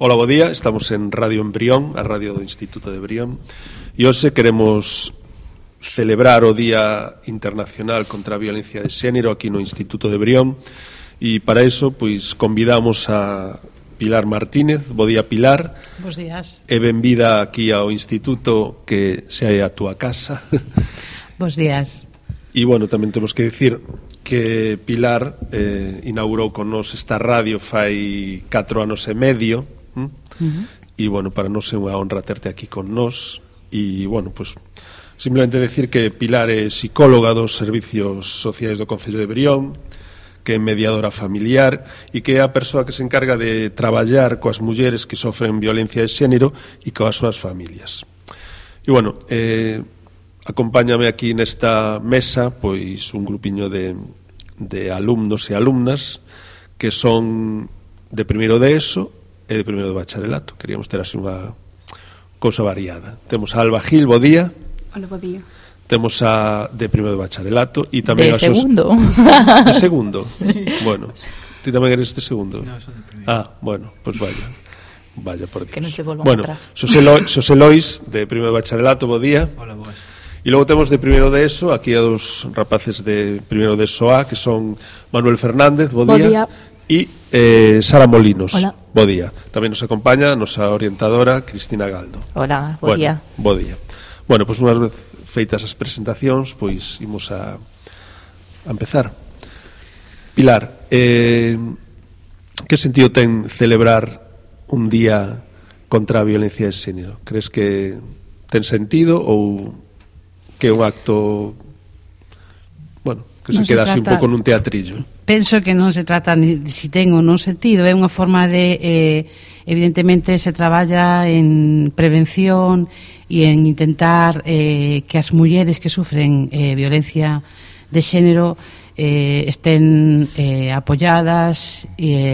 Ola, bo día, estamos en Radio Embrión, a radio do Instituto de Brión, e hoxe queremos celebrar o Día Internacional contra a Violencia de Xénero aquí no Instituto de Brión, e para iso pois convidamos a Pilar Martínez. Bo día, Pilar. Bos días. E benvida aquí ao Instituto, que xa é a túa casa. Bos días. E, bueno, tamén temos que dicir que Pilar inaugurou con nos esta radio fai 4 anos e medio, e, bueno, para nós é unha honra terte aquí con nós. E, bueno, pues simplemente decir que Pilar é psicóloga dos Servicios Sociais do Concello de Brión, que é mediadora familiar e que é a persoa que se encarga de traballar coas mulleres que sofren violencia de xénero e coas súas familias. E, bueno, acompáñame aquí nesta mesa pois un grupiño de alumnos e alumnas que son de primeiro de ESO e de primeiro de bacharelato. Queríamos ter así unha cousa variada. Temos a Alba Gil, bo día. Hola, bo día. Temos a de primeiro de bacharelato e tamén de segundo. De segundo? Sí. Bueno, ti tamén eres de segundo? No, son de primeiro. Ah, bueno, pues vaya por Dios. Que non se volvan bueno, atrás. Xosé Lois, de primeiro de bacharelato, bo día. Hola, boas. E logo temos de primeiro de ESO, aquí a dos rapaces de primeiro de ESO A, que son Manuel Fernández, bo día. E Sara Molinos. Hola. Bo día. Tamén nos acompaña a nosa orientadora Cristina Galdo. Hola, bo día. Bo día. Bueno, pois unhas vez feitas as presentacións, pois imos a empezar. Pilar, que sentido ten celebrar un día contra a violencia de xénero? Crees que ten sentido ou que é un acto, bueno, que se queda así un pouco nun teatrillo? Penso que non se trata ni de si ten ou non sentido, é unha forma de, evidentemente se traballa en prevención e en intentar que as mulleres que sufren violencia de xénero estén apoyadas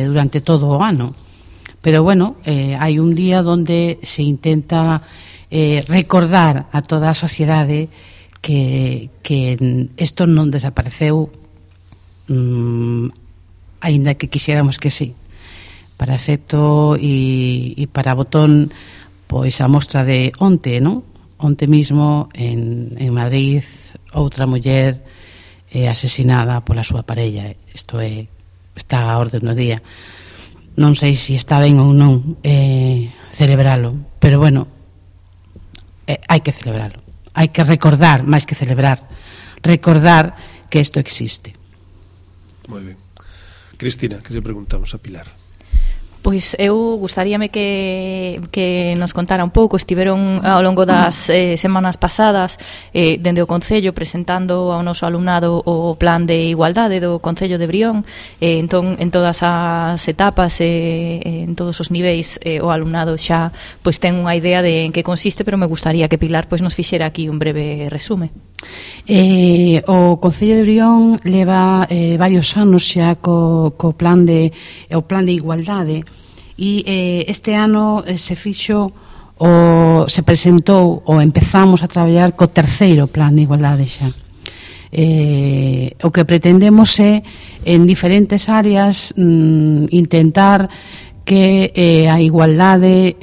durante todo o ano. Pero, bueno, hai un día onde se intenta recordar a toda a sociedade que isto non desapareceu, aínda que quixéramos que sí. Para efecto e para botón, pois a mostra de onte, non? Onte mismo en Madrid outra muller asesinada pola súa parella. Isto está a orde do día. Non sei se está ben ou non celebralo, pero, bueno, hai que celebralo. Hai que recordar, máis que celebrar, recordar que isto existe. Moi ben. Cristina, que lle preguntamos a Pilar? Pois eu gustaríame que nos contara un pouco. Estiveron ao longo das semanas pasadas dende o Concello presentando ao noso alumnado o plan de igualdade do Concello de Brión. Entón, en todas as etapas en todos os niveis o alumnado xa pois ten unha idea de en que consiste, pero me gustaría que Pilar pois nos fixera aquí un breve resume. O Concello de Brión leva varios anos xa co plan de igualdade. E este ano se presentou ou empezamos a traballar co terceiro plan de igualdade xa. O que pretendemos é en diferentes áreas intentar que a igualdade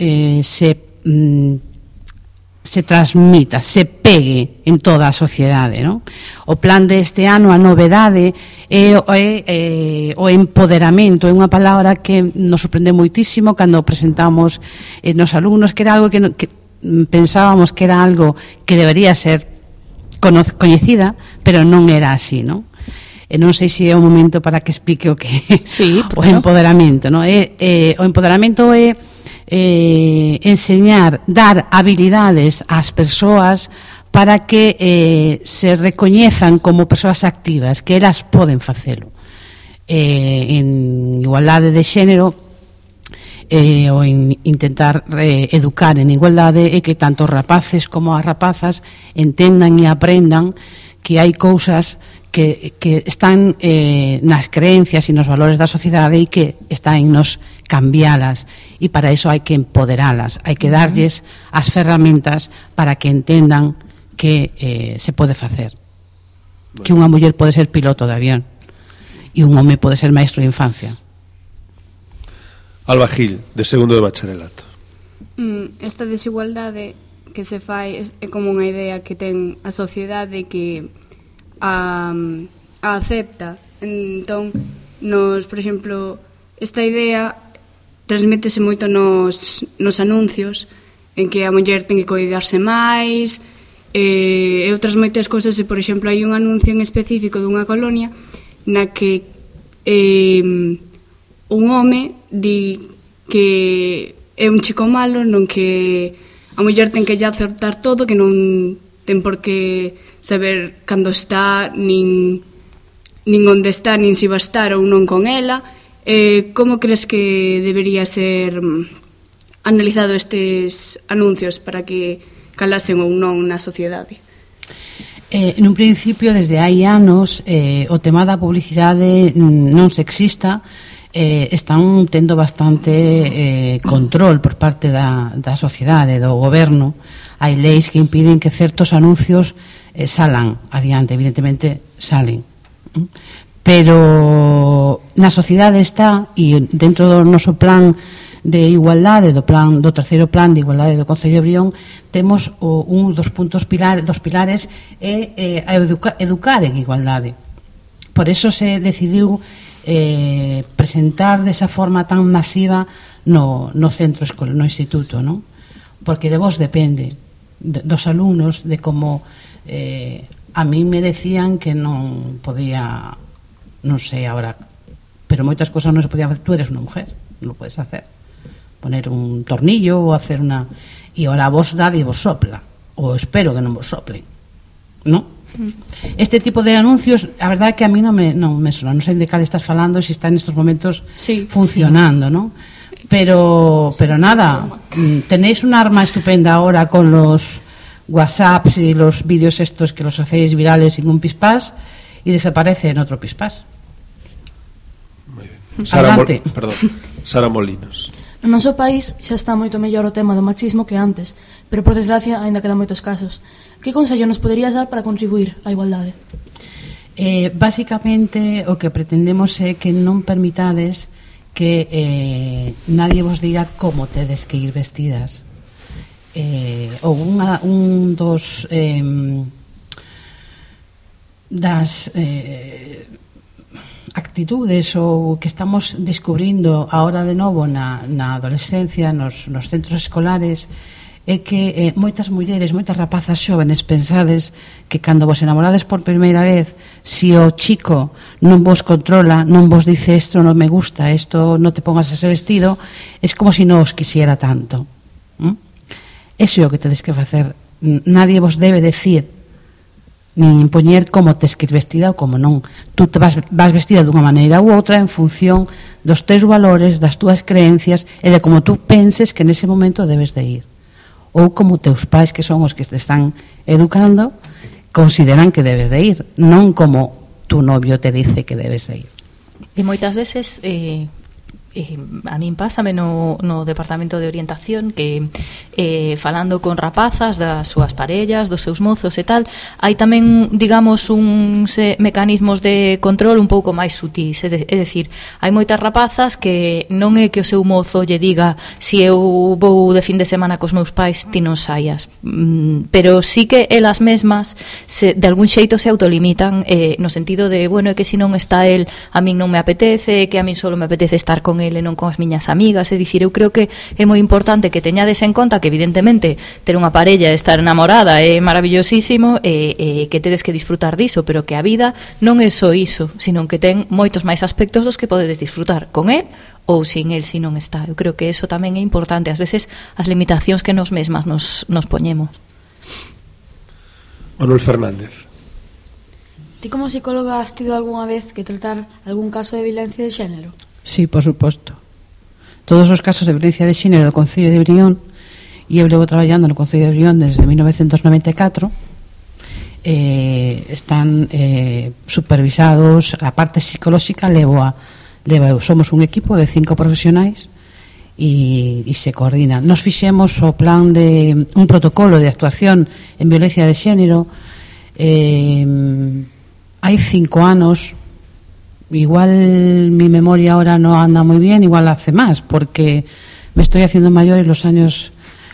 se transmita, se pegue en toda a sociedade, non? O plan deste ano, a novedade é o empoderamento. É unha palabra que nos sorprende moitísimo cando presentamos nos alumnos, que era algo que pensábamos que era algo que debería ser coñecida, pero non era así, non? E non sei se é o momento para que explique o que sí, o empoderamento, non? O empoderamento é enseñar, dar habilidades ás persoas para que se recoñezan como persoas activas, que elas poden facelo. En igualdade de xénero ou en intentar educar en igualdade é que tanto os rapaces como as rapazas entendan e aprendan que hai cousas que están nas creencias e nos valores da sociedade e que está en nos cambialas, e para iso hai que empoderalas, hai que darlles as ferramentas para que entendan que se pode facer, que unha muller pode ser piloto de avión e un home pode ser maestro de infancia. Alba Gil, de segundo de bacharelato. Esta desigualdade que se fai é como unha idea que ten a sociedade que a acepta. Entón, por exemplo, esta idea transmítese moito nos anuncios, en que a muller ten que cuidarse máis, e outras moitas cousas. E, por exemplo, hai un anuncio en específico dunha colonia na que un home di que é un chico malo, non que a muller ten que lle acertar todo, que non ten por que saber cando está, nin onde está, nin se va a estar ou non con ela. Como crees que debería ser analizado estes anuncios para que calasen ou non na sociedade? Nun principio, desde hai anos, o tema da publicidade non sexista están tendo bastante control por parte da sociedade, do goberno. Hai leis que impiden que certos anuncios salan adiante, evidentemente salen, pero na sociedade está, e dentro do noso plan de igualdade, do terceiro plan de igualdade do Concello de Brión, temos un dos puntos dos pilares é educar en igualdade. Por eso se decidiu presentar desa forma tan masiva no centro escolar, no instituto, non? Porque de vos depende, dos alumnos, de como a mí me decían que non podía, non sei agora, pero moitas cosas non se podían hacer. Tú eres unha mujer, non lo puedes hacer, poner un tornillo ou hacer unha... E ahora vos nadie vos sopla, ou espero que non vos soplen, non? Este tipo de anuncios, a verdade é que a mí non me sona, non sei de cal estás falando, se está nestes momentos funcionando, non? Pero nada, tenéis un arma estupenda ahora con los WhatsApps y los vídeos estos que los hacéis virales sin un pispás y desaparece en otro pispás. Muy bien. Sara Molinos. No noso país xa está moito mellor o tema do machismo que antes, pero por desgracia aínda quedan moitos casos. Que consello nos poderías dar para contribuir á igualdade? Básicamente o que pretendemos é que non permitades que nadie vos diga como tedes que ir vestidas. Ou un dos das actitudes ou que estamos descubrindo ahora de novo na adolescencia, nos centros escolares, é que moitas mulleres, moitas rapazas xóvenes pensades que cando vos enamorades por primeira vez, se o chico non vos controla, non vos dice isto non me gusta, isto non te pongas ese vestido, é como se non os quisiera tanto. Eso é o que tedes que facer. Nadie vos debe decir nin impoñer como tes que ir vestida ou como non. Tú te vas vestida dunha maneira ou outra en función dos teus valores, das túas creencias e de como tú penses que nese momento debes de ir. Ou como teus pais, que son os que te están educando, consideran que debes de ir, non como tu novio te dice que debes de ir. E moitas veces a min pásame no departamento de orientación que falando con rapazas das súas parellas, dos seus mozos e tal, hai tamén, digamos, uns mecanismos de control un pouco máis sutís, é dicir, hai moitas rapazas que non é que o seu mozo lle diga si eu vou de fin de semana cos meus pais ti non saias, pero sí que elas mesmas de algún xeito se autolimitan no sentido de, bueno, é que se non está el a min non me apetece, que a min solo me apetece estar con ele, non con as miñas amigas. É dicir, eu creo que é moi importante que teñades en conta que evidentemente ter unha parella e estar enamorada é maravillosísimo e que tedes que disfrutar diso, pero que a vida non é só iso, sino que ten moitos máis aspectos dos que podedes disfrutar con el ou sin el, si non está. Eu creo que eso tamén é importante, ás veces as limitacións que nos mesmas nos poñemos. Manuel Fernández. Ti como psicóloga has tido algunha vez que tratar algún caso de violencia de xénero? Sí, por suposto. Todos os casos de violencia de xénero do Concello de Brión, e eu levo traballando no Concello de Brión desde 1994, están supervisados. A parte psicolóxica somos un equipo de 5 profesionais e se coordina. Nos fixemos o plan de un protocolo de actuación en violencia de xénero hai 5 anos, igual mi memoria ahora no anda muy bien, igual hace más, porque me estoy haciendo mayor y los años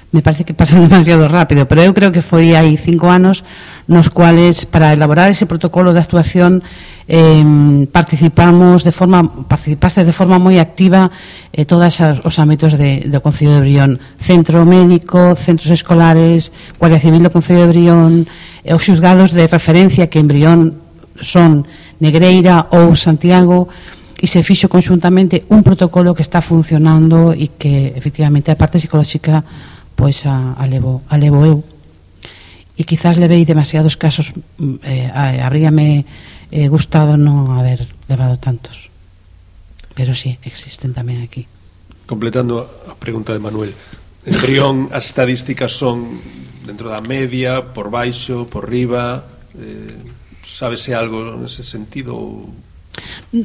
me parece que pasan demasiado rápido, pero eu creo que foi hai 5 anos nos cuales para elaborar ese protocolo de actuación participaste de forma moi activa todos os ámbitos do Concello de Brión, centro médico, centros escolares, Guardia Civil do Concello de Brión, os xuzgados de referencia que en Brión son Negreira ou Santiago, e se fixo conxuntamente un protocolo que está funcionando e que efectivamente a parte psicolóxica pois a levo eu, e quizás levei demasiados casos, habríame gustado non haber levado tantos, pero sí, existen tamén aquí. Completando a pregunta de Manuel, en Brión as estadísticas son dentro da media, por baixo, por riba, sábese algo nese sentido?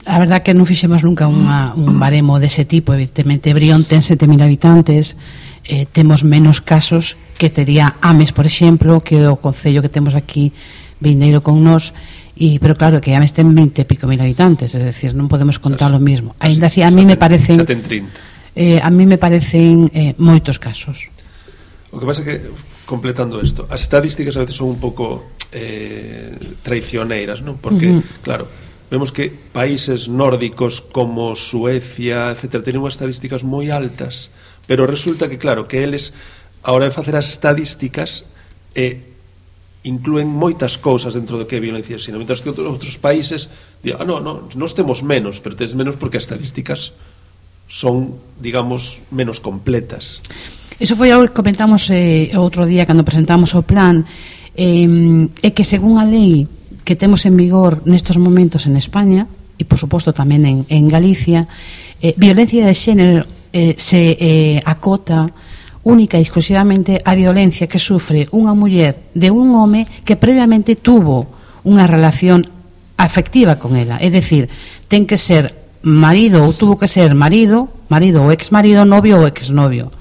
A verdad que non fixemos nunca un baremo dese tipo. Evidentemente Brión ten 7.000 habitantes, temos menos casos que tería Ames, por exemplo, que o concello que temos aquí vindeiro con nós, pero claro que Ames ten 20 e pico mil habitantes, es decir, non podemos contar o mismo. Ainda así, a mí me parecen moitos casos. O que pasa é que, completando isto, as estadísticas a veces son un pouco traicioneiras, non? Porque, claro, vemos que países nórdicos como Suecia, etc., teñen unhas estadísticas moi altas, pero resulta que, claro, que eles, a hora de facer as estadísticas, incluen moitas cousas dentro do que é violencia de xénero, mentras que outros países digan, nós temos menos, pero tens menos porque as estadísticas son, digamos, menos completas. Eso foi algo que comentamos outro día cando presentamos o plan, é que según a lei que temos en vigor nestos momentos en España e por suposto tamén en Galicia, violencia de xénero se acota única e exclusivamente a violencia que sufre unha muller de un home que previamente tuvo unha relación afectiva con ela, é dicir, ten que ser marido ou tuvo que ser marido ou exmarido, novio ou exnovio.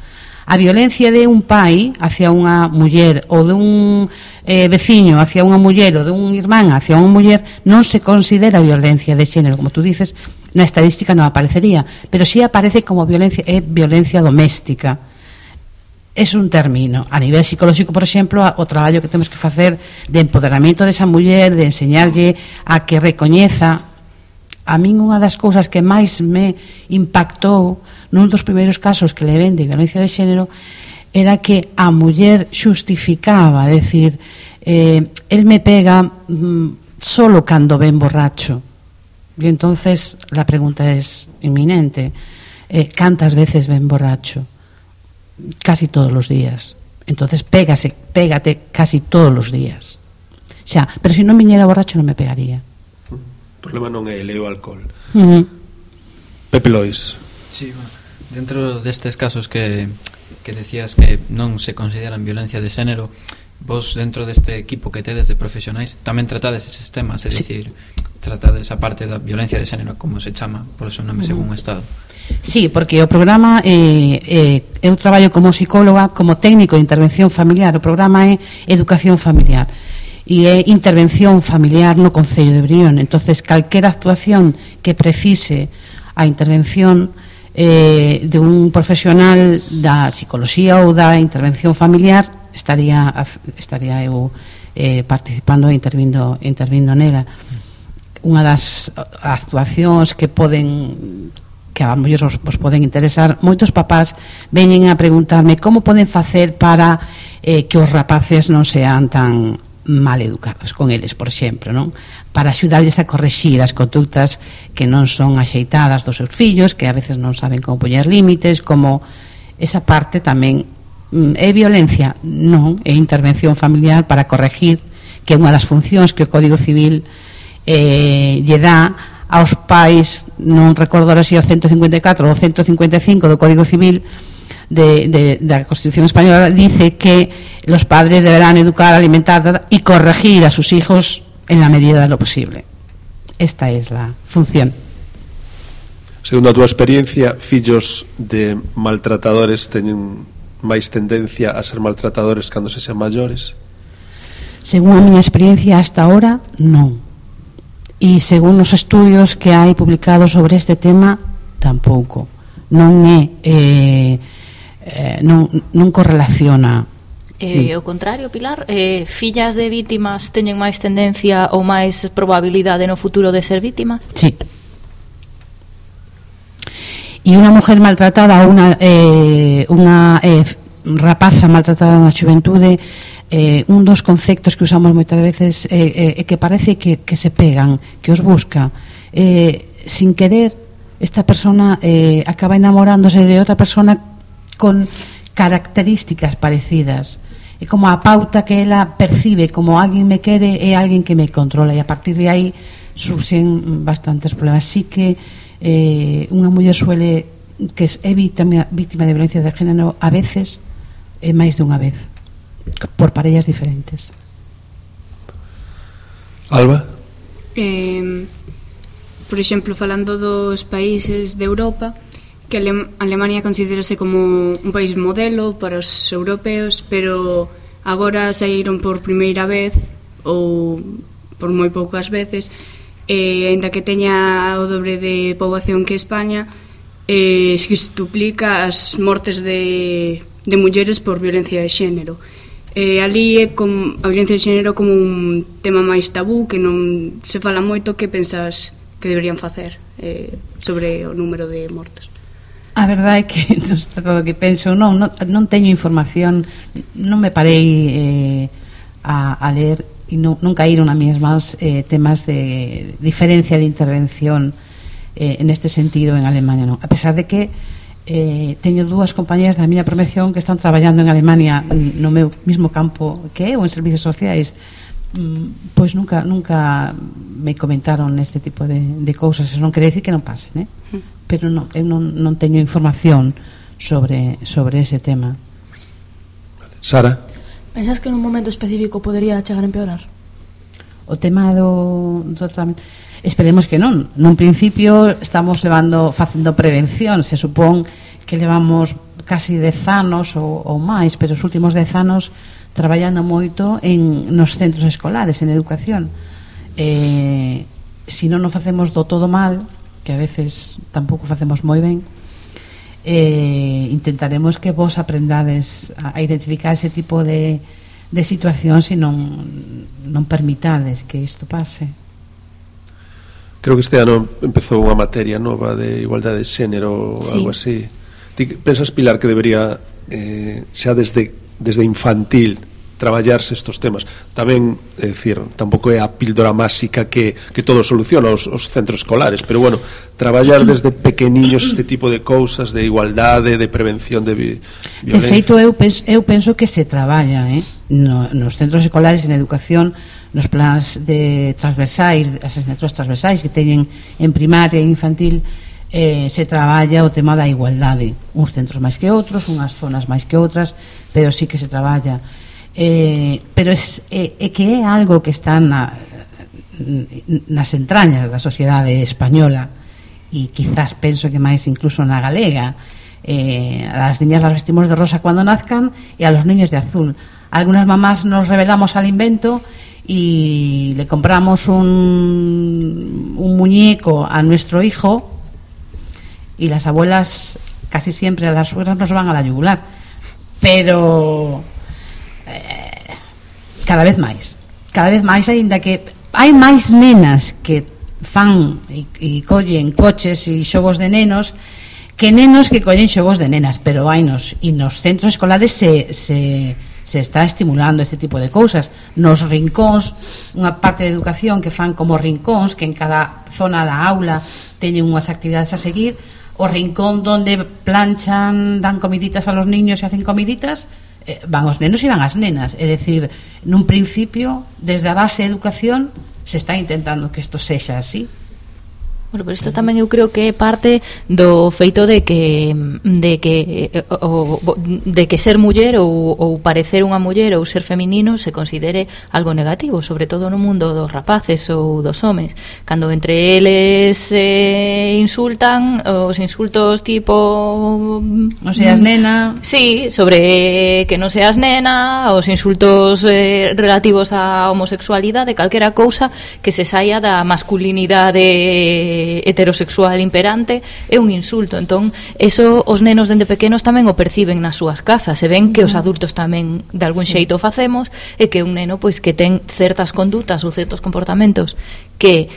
A violencia de un pai hacia unha muller ou de un veciño hacia unha muller ou de un irmán hacia unha muller non se considera violencia de xénero, como tú dices, na estadística non aparecería, pero sí aparece como violencia doméstica. É un término. A nivel psicolóxico, por exemplo, o traballo que temos que facer de empoderamento desa muller, de enseñarlle a que recoñeza. A min unha das cousas que máis me impactou nun dos primeiros casos que le ven de violencia de xénero era que a muller xustificaba, decir, él me pega solo cando ven borracho. Y entonces la pregunta es inminente, ¿cantas veces ven borracho? Casi todos los días. Entonces pégate casi todos los días. O sea, pero si non viñera borracho non me pegaría. O problema non é o alcohol. Pepe Lois. Sí, bueno, dentro destes casos que decías que non se consideran violencia de xénero, vos dentro deste equipo que tedes de profesionais tamén tratades eses temas, é dicir, tratades a parte da violencia de xénero, como se chama polo seu nome según o Estado. Sí, porque o programa eu traballo como psicóloga, como técnico de intervención familiar. O programa é educación familiar e é intervención familiar no Concello de Brión. Entonces, calquera actuación que precise a intervención de un profesional da psicología ou da intervención familiar, estaría eu participando e intervindo nela. Unha das actuacións que a mellor vos poden interesar, moitos papás veñen a preguntarme como poden facer para que os rapaces non sean tan mal educados con eles, por exemplo, non? Para axudarlles a correxir as conductas que non son axeitadas dos seus fillos, que a veces non saben como poñer límites, como esa parte tamén é violencia, non, é intervención familiar para corregir, que é unha das funcións que o Código Civil lle dá aos pais, non recordo ahora se o 154 ou 155 do Código Civil da Constitución Española, dice que los padres deberán educar, alimentar y corregir a sus hijos en la medida de lo posible. Esta es la función. Segundo a túa experiencia, fillos de maltratadores teñen máis tendencia a ser maltratadores cando se sean maiores? Según a miña experiencia hasta ahora, non. e según os estudios que hai publicados sobre este tema tampouco non correlaciona. O contrario, Pilar, fillas de vítimas teñen máis tendencia ou máis probabilidade no futuro de ser vítimas? Sí. E unha mujer maltratada ou unha rapaza maltratada na xuventude, un dos conceptos que usamos moitas veces é que parece que se pegan, que os busca, sin querer esta persona acaba enamorándose de outra persona con características parecidas. É como a pauta que ela percibe como alguén me quere é alguén que me controla, e a partir de aí surxen bastantes problemas. Sí que unha muller suele que é víctima de violencia de género a veces é máis de unha vez por parellas diferentes. Alba? Por exemplo, falando dos países de Europa, que Alemania considérase como un país modelo para os europeos, pero agora saíron por primeira vez ou por moi poucas veces, aínda que teña o dobre de poboación que España, se duplica as mortes de mulleres por violencia de xénero. Ali é como a violencia de xénero como un tema máis tabú, que non se fala moito. Que pensas que deberían facer sobre o número de mortes? A verdade é que non está todo o que penso, non teño información, non me parei a ler e non caíron a mesmas temas de diferencia de intervención neste sentido en Alemania, non. A pesar de que teño dúas compañeras da miña promoción que están traballando en Alemania no meu mismo campo que eu, en servicios sociais, pois nunca me comentaron este tipo de cousas. Eso non quere decir que non pasen, pero eu non teño información sobre ese tema. Sara? Pensas que nun momento específico podería chegar a empeorar? O tema do tratamento, esperemos que non. Nun principio estamos facendo prevención. Se supón que levamos casi 10 anos ou máis, pero os últimos 10 anos traballando moito nos centros escolares, en educación. Se non o facemos do todo mal, que a veces tampouco facemos moi ben, intentaremos que vos aprendades a identificar ese tipo de situacións e non permitades que isto pase. Creo que este ano empezou unha materia nova de igualdade de xénero ou algo así. Ti pensas, Pilar, que debería xa desde infantil traballarse estos temas? Tamén, é dicir, tampouco é a píldora máxica que todo soluciona os centros escolares, pero bueno, traballar desde pequeniños este tipo de cousas, de igualdade, de prevención de violencia. De feito, eu penso que se traballa nos centros escolares, en educación, nos plans de transversais, as asignaturas transversais que teñen en primaria e infantil, se traballa o tema da igualdade. Uns centros máis que outros, unhas zonas máis que outras, pero sí que se traballa. Pero é que é algo que está nas entrañas da sociedade española, e quizás penso que máis incluso na galega. A las niñas las vestimos de rosa cuando nazcan e a los niños de azul. Algunas mamás nos rebelamos al invento y le compramos un muñeco a nuestro hijo, y las abuelas casi siempre, a las suegras, nos van a la yugular, pero cada vez máis, aínda que hai máis nenas que fan e collen coches e xogos de nenos que nenos que collen xogos de nenas, pero hainos, e nos centros escolares se está estimulando este tipo de cousas. Nos rincóns, unha parte de educación que fan como rincóns, que en cada zona da aula teñen unhas actividades a seguir. O rincón donde planchan, dan comiditas a los niños e hacen comiditas, van os nenos e van as nenas. É dicir, nun principio, desde a base de educación, se está intentando que isto sexa así. Bueno, pero isto tamén eu creo que é parte do feito de que ser muller ou parecer unha muller ou ser feminino se considere algo negativo, sobre todo no mundo dos rapaces ou dos homes. Cando entre eles insultan, os insultos tipo non seas nena. Sí, sobre que non seas nena, os insultos relativos á homosexualidade, calquera cousa que se saia da masculinidade heterosexual imperante é un insulto. Entón, eso os nenos dende pequenos tamén o perciben nas súas casas, e ven que os adultos tamén de algún xeito o facemos, e que un neno pois que ten certas condutas ou certos comportamentos que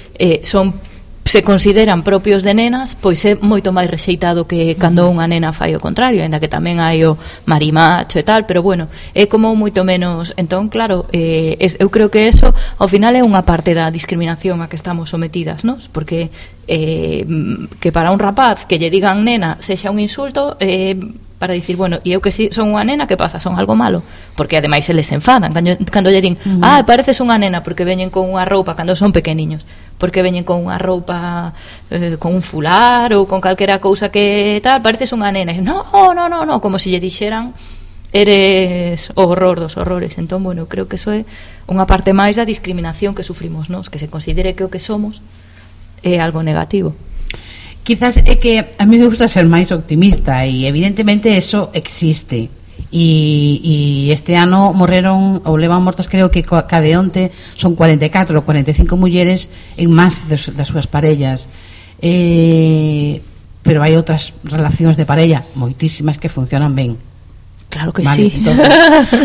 se consideran propios de nenas, pois é moito máis rexeitado que cando unha nena fai o contrario, ainda que tamén hai o marimacho e tal, pero bueno, é como moito menos. Entón, claro, eu creo que eso ao final é unha parte da discriminación a que estamos sometidas, ¿no? Porque que para un rapaz que lle digan nena sexa un insulto, para dicir, bueno, e eu que si son unha nena, que pasa? Son algo malo? Porque ademais eles se enfadan cando lle din, pareces unha nena, porque veñen con unha roupa cando son pequeniños, porque veñen con unha roupa con un fular ou con calquera cousa que tal, pareces unha nena, e no, como se lle dixeran eres o horror dos horrores. Entón, bueno, creo que eso é unha parte máis da discriminación que sufrimos nós, que se considere que o que somos é algo negativo. Quizás é que a mí me gusta ser máis optimista, e evidentemente eso existe, e este ano morreron ou levan mortas, creo que cada onte son 44 ou 45 mulleres en máis das súas parellas, pero hai outras relacións de parella moitísimas que funcionan ben. Claro que vale, sí. Entonces,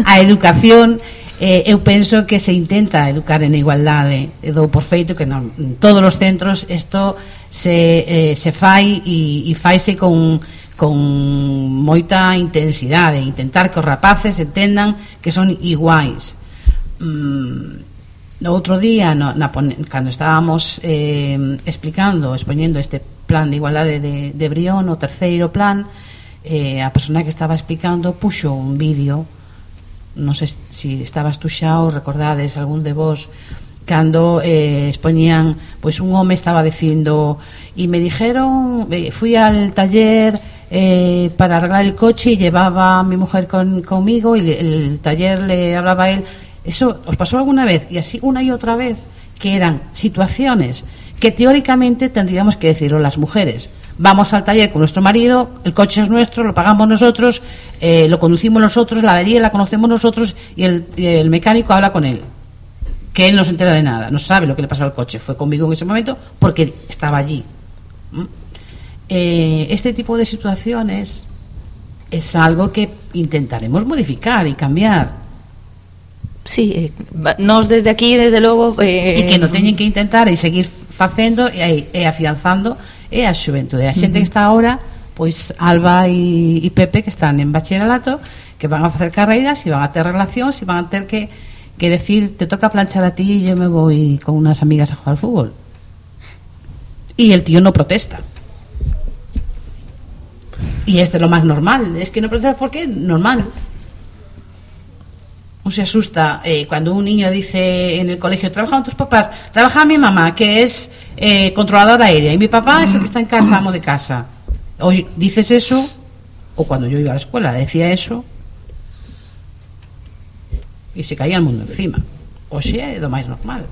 a educación, eu penso que se intenta educar en igualdade. Dou por feito que en todos os centros isto se fai, e faise con moita intensidade, intentar que os rapaces entendan que son iguais. No outro día, cando estábamos expoñendo este plan de igualdade de Brión, o terceiro plan, a persona que estaba explicando puxo un vídeo, non sei se estabas tú xa ou recordades algún de vos, cando expoñían, pois un home estaba dicindo, e me dijeron, fui al taller para arreglar el coche y llevaba a mi mujer conmigo, y el taller le hablaba a él. ¿Eso os pasó alguna vez? Y así una y otra vez, que eran situaciones que teóricamente tendríamos que decirlo las mujeres. Vamos al taller con nuestro marido, el coche es nuestro, lo pagamos nosotros, lo conducimos nosotros, la avería la conocemos nosotros, y el mecánico habla con él, que él no se entera de nada, no sabe lo que le pasó al coche, fue conmigo en ese momento porque estaba allí. Este tipo de situaciones es algo que intentaremos modificar y cambiar. Sí, nos desde aquí, desde logo, e que non teñen que intentar e seguir facendo e afianzando a xuventude. A xente que está ahora, pois Alba e Pepe, que están en bacharelato, que van a facer carreiras e van a ter relacións e van a ter que decir, te toca planchar a ti y yo me voy con unas amigas a jugar al fútbol. Y el tío no protesta. Y es de lo más normal. Es que no protesta porque es normal. No se asusta cuando un niño dice en el colegio, ¿trabajan tus papás? Trabaja mi mamá, que es controladora aérea, y mi papá es el que está en casa, amo de casa. Hoy dices eso, o cuando yo iba a la escuela decía eso, e se caía el mundo encima. O sea, é do máis normal.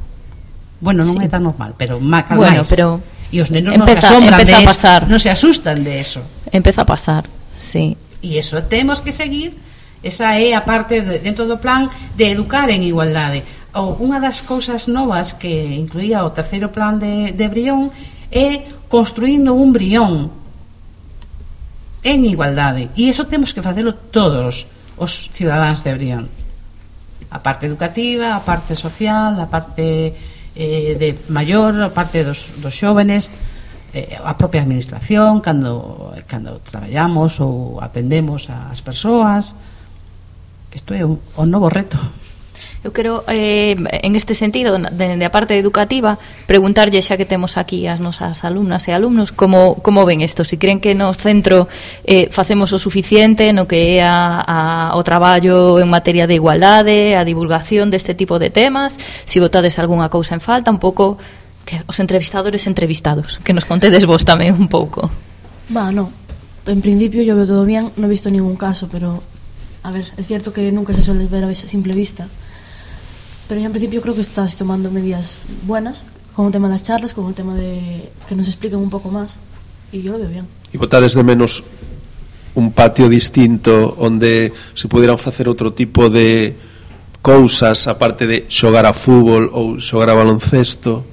Bueno, non é tan normal, pero máis. Bueno, pero e os nenos non se asombran de eso, non se asustan de eso. Empeza a pasar, sí. E eso temos que seguir. Esa é a parte dentro do plan de educar en igualdade. Unha das cousas novas que incluía o terceiro plan de Brión é construindo un Brión en igualdade. E iso temos que facelo todos os cidadáns de Brión. A parte educativa, a parte social, a parte de maior, a parte dos xóvenes, a propia administración, cando traballamos ou atendemos ás persoas. Isto é un novo reto. Eu quero, en este sentido, de a parte educativa, preguntarlle, xa que temos aquí as nosas alumnas e alumnos, como ven isto? Se creen que no centro facemos o suficiente no que é o traballo en materia de igualdade, a divulgación deste tipo de temas, se botades algunha cousa en falta, un pouco que os entrevistadores entrevistados, que nos contedes vos tamén un pouco. No, en principio yo veo todo bien, no he visto ningún caso, pero a ver, es cierto que nunca se suele ver a simple vista, pero yo en principio creo que estás tomando medidas buenas con el tema de las charlas, con el tema de que nos expliquen un poco más, y yo lo veo bien. E botades de menos un patio distinto onde se pudieran facer outro tipo de cousas aparte de xogar a fútbol ou xogar a baloncesto?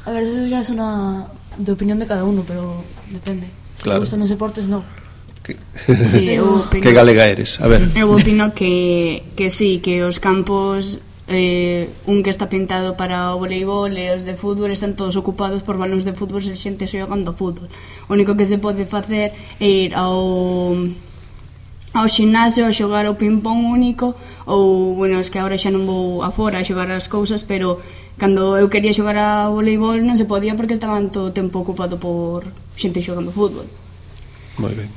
A ver, eso ya es una de opinión de cada uno, pero depende. Si claro. te gustan los deportes, no. Sí, que galega eres? A ver. Eu opino que sí, que os campos un que está pintado para o voleibol e os de fútbol están todos ocupados por balóns de fútbol e xente xogando fútbol. O único que se pode facer é ir ao ximnasio a xogar o ping-pong único, ou, bueno, es que agora xa non vou afora a xogar as cousas, pero cando eu quería xogar a voleibol non se podía porque estaban todo o tempo ocupado por xente xogando fútbol. Moi ben.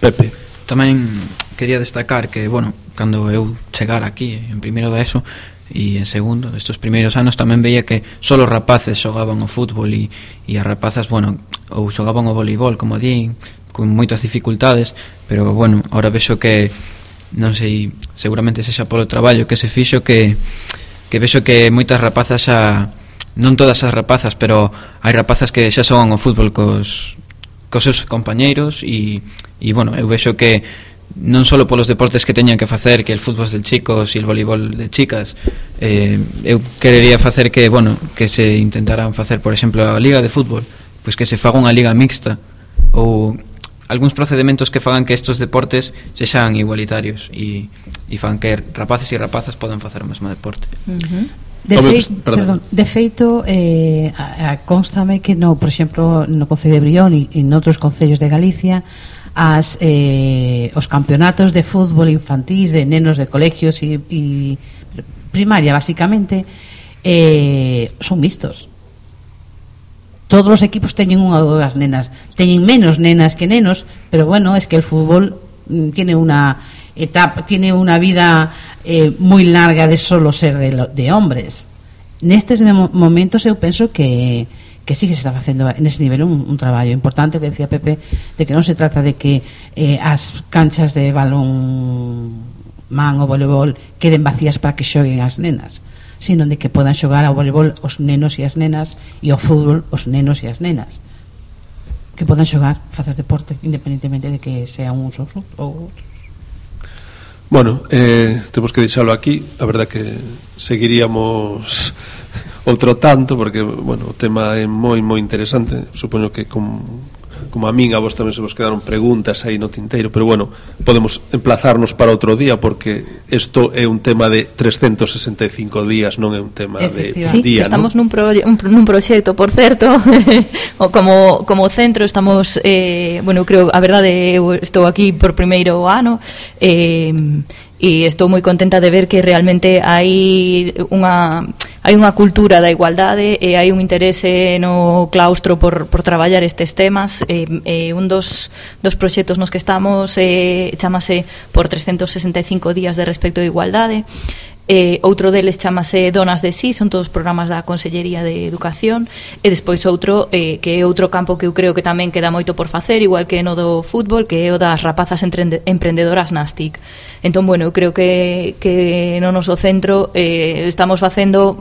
Pepe. Tamén quería destacar que, bueno, cando eu chegar aquí en primeiro da ESO e en segundo, estes primeiros anos tamén veía que só os rapaces xogaban o fútbol e as rapazas, bueno, ou xogaban o voleibol, como din, con moitas dificultades, pero, bueno, ahora vexo que, non sei, seguramente sexa polo traballo que se fixo, que vexo que moitas rapazas xa, non todas as rapazas, pero hai rapazas que xa xogan o fútbol cos seus compañeiros e bueno, eu vexo que non só polos deportes que teñan que facer, que el fútbol de chicos e el voleibol de chicas, eu querería facer que, bueno, que se intentaran facer, por exemplo, a liga de fútbol, pois que se faga unha liga mixta ou algúns procedementos que fagan que estes deportes sexan igualitarios e fan que rapaces e rapazas podan facer o mesmo deporte. De feito, constame que por exemplo no Concello de Brión e en outros concellos de Galicia os campeonatos de fútbol infantís de nenos de colegios e primaria basicamente son mixtos. Todos os equipos teñen unha ou dúas nenas, teñen menos nenas que nenos, pero bueno, es que el fútbol tiene una etapa, tiene una vida muy larga de solo ser de hombres. Nestes momentos eu penso que sí que se está facendo nese nivel un traballo importante, que decía Pepe, de que non se trata de que as canchas de balón man ou voleibol queden vacías para que xoguen as nenas, sino de que podan xogar ao voleibol os nenos e as nenas e ao fútbol os nenos e as nenas, que podan xogar, facer deporte independentemente de que sean uns ou outros. Bueno, temos que deixalo aquí. A verdad que seguiríamos outro tanto, porque, bueno, o tema é moi interesante. Supoño que como a min a vos tamén se vos quedaron preguntas aí no tinteiro, pero bueno, podemos emplazarnos para outro día, porque isto é un tema de 365 días, non é un tema de día, estamos ¿no? nun proxecto, por certo, o como centro estamos, bueno, creo, a verdade, eu estou aquí por primeiro ano, e estou moi contenta de ver que realmente hai unha cultura da igualdade e hai un interese no claustro por traballar estes temas. Un dos proxectos nos que estamos chamase por 365 días de respecto de igualdade. Outro deles chamase Donas de Sí, son todos programas da Consellería de Educación, e despois outro que é outro campo que eu creo que tamén queda moito por facer, igual que no do fútbol, que é o das rapazas emprendedoras nas TIC. Entón, bueno, eu creo que no noso centro estamos facendo,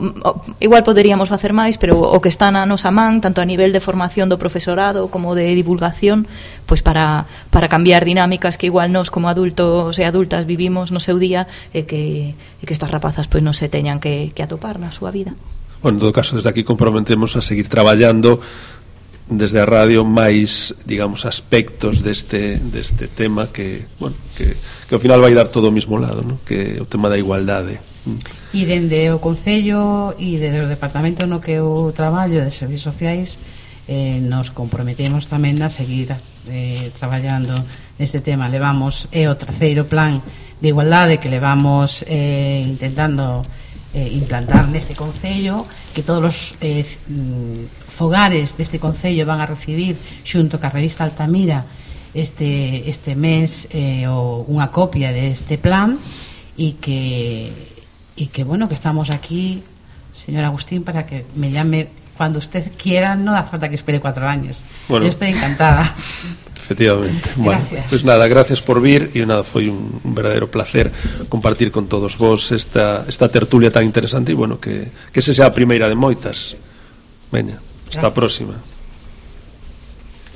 igual poderíamos facer máis, pero o que está na nosa man, tanto a nivel de formación do profesorado como de divulgación, pois para cambiar dinámicas que igual nós como adultos e adultas vivimos no seu día, e que estas rapazas pois non se teñan que atopar na súa vida. Bueno, en todo caso, desde aquí comprometemos a seguir traballando desde a radio máis, digamos, aspectos deste tema que, bueno, que ao final vai dar todo ao mesmo lado, ¿no? Que o tema da igualdade. E dende o Concello e dende o departamento no que eu traballo de servicios sociais, nos comprometemos tamén a seguir traballando neste tema. Levamos o terceiro plan de igualdade que levamos intentando implantar neste Concello, que todos os fogares deste Concello van a recibir xunto ca revista Altamira este mes unha copia deste plan, e que bueno, que estamos aquí señor Agustín, para que me llame cuando usted quiera, no hace falta que espere 4 años. Bueno, yo estoy encantada. Efectivamente. Bueno, gracias. Pues nada, gracias por vir e nada, foi un verdadero placer compartir con todos vos esta tertulia tan interesante e bueno, que se sea a primeira de moitas. Veña, hasta a próxima.